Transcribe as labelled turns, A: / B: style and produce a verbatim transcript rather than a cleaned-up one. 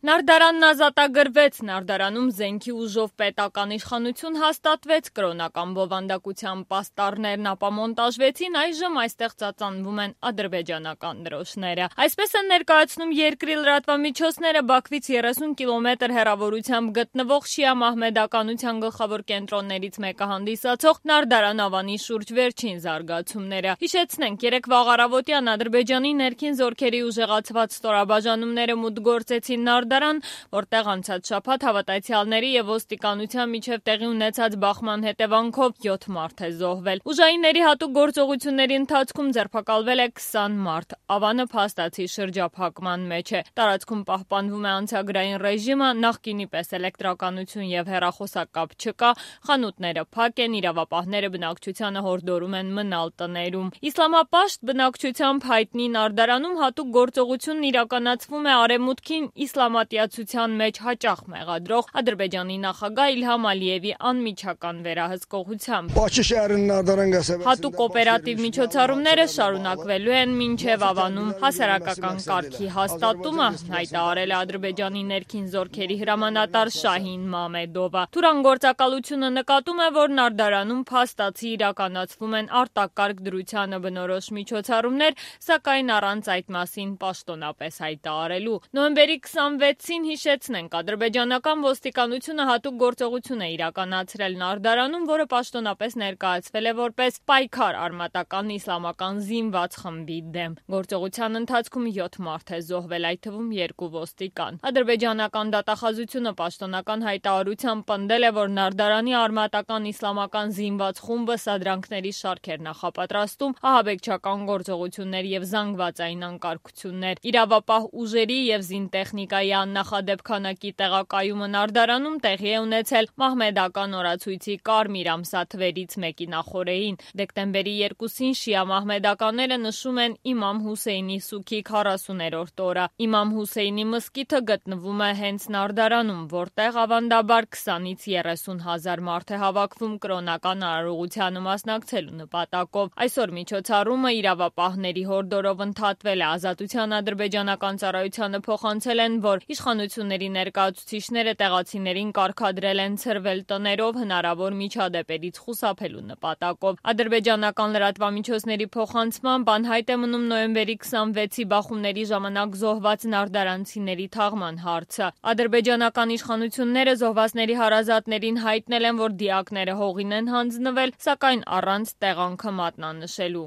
A: Նարդարանն ազատագրվեց, Նարդարանում զենքի ուժով պետական իշխանություն հաստատվեց, կրոնական բովանդակության պաստառներն ապամոնտաժվեցին, այժմ այստեղ ծածանվում են ադրբեջանական դրոշները։ Այսպես են ներկայացնում երկրի լրատվամիջոցները Բաքվից երեսուն կիլոմետր հեռավորությամբ գտնվող շիա մահմեդականության գլխավոր կենտրոններից մեկը հանդիսացող Նարդարան Ավանի շուրջ վերջին զարգացումները։ Հիշեցնենք, երեկվա առավոտյան Ադրբեջանի ներքին զորքերի ուժեղացված ստորաբաժանումները մուտք գործեցին Նարդարան, որտեղ անցած շաբաթ հավատացյալների եւ ոստիկանության միջև տեղի ունեցած բախման հետևանքով յոթ մարդ է զոհվել։ Ուժայինների հատուկ գործողությունների ընթացքում ձերբակալվել է քսան մարդ։ Ավանը փաստացի շրջափակման մեջ է։ Տարածքում պահպանվում է անցագրային ռեժիմը, նախկինի պես էլեկտրականություն եւ հեռախոսակապ չկա, խանութները փակ են, իրավապահները բնակչությանը հորդորում են մնալ տներում։ Իսլամապաշտ բնակչությամբ հայտնի Նարդարանում հատուկ գործողությունն իրականացվում է արևմուտքին իսլամատյացության մեջ հաճախ մեղադրող Ադրբեջանի նախագահ Իլհամ Ալիևի անմիջական վերահսկողությամբ։ Հատուկ օպերատիվ միջոցառումները շարունակվելու են մինչև Ավանում հասարակական կարգի հաստատումը, հայտարարել է Ադրբեջանի ներքին զորքերի հրամանատար Շահին Մամեդովը։ Թուրան գործակալությունը նկատում է, որ Նարդարանում փաստացի իրականացվում են արտակարգ դրությանը բնորոշ միջոցառումներ, սակայն առանց այդ մասին պաշտոնապես հայտարարելու։ Նոյեմբերի քսանվեցին հիշեցնենք, ադրբեջանական ոստիկանությունը հատուկ գործողություն է իրականացրել Նարդարանում, որը պաշտոնապես ներկայացվել է որպես պայքար արմատական իսլամական զինված խմբի դեմ։ Գործողության ընթացքում յոթ մարդ է զոհվել, այդ թվում երկու ոստիկան։ Ադրբեջանական դատախազությունը պաշտոնական հայտարարությամբ պնդել է, որ Նարդարանի արմատական իսլամական զինված խումբը սադրանքների շարք էր նախապատրաստում, ահաբեկչական գործողություններ եւ զանգվածային անկարգություններ։ Իրավապահ ուժերի եւ զինտեխնիկայի աննախադեպ քանակի տեղակայումը Նարդարանում տեղի է ունեցել մահմեդական օրացույցի կարմիր ամսաթվերից մեկի նախօրեին։ Դեկտեմբերի երկուսին շիա մահմեդականները նշում են Իմամ Հուսեյնի սուգի քառասուներորդ օրը։ Իմամ Հուսեյնի մզկիթը գտնվում է հենց Նարդարանում, որտեղ ավանդաբար քսանից երեսուն հազար մարդ է հավաքվում կրոնական արարողությանը մասնակցելու նպատակով։ Այսօր միջոցառումը իրավապահների հորդորով ընդհատվել է։ Ազատության ադրբեջանական ծառայությանը փոխանցել են, որ իշխանությունների ներկայացուցիչները տեղացիներին կարգադրել են ցրվել տներով հնարավոր միջադեպերից խուսափելու նպատակով։ Ադրբեջանական լրատվամիջոցների փոխանցմամբ անհայտ է մնում նոյեմբերի քսանվեցի բախումների ժամանակ զոհված նարդարանցիների թաղման հարցը։ Ադրբեջանական իշխանությունները զոհվածների հարազատներին հայտնել են, որ դիակները հողին են հանձնվել, սակայն առանց տեղանքը մատնանշելու։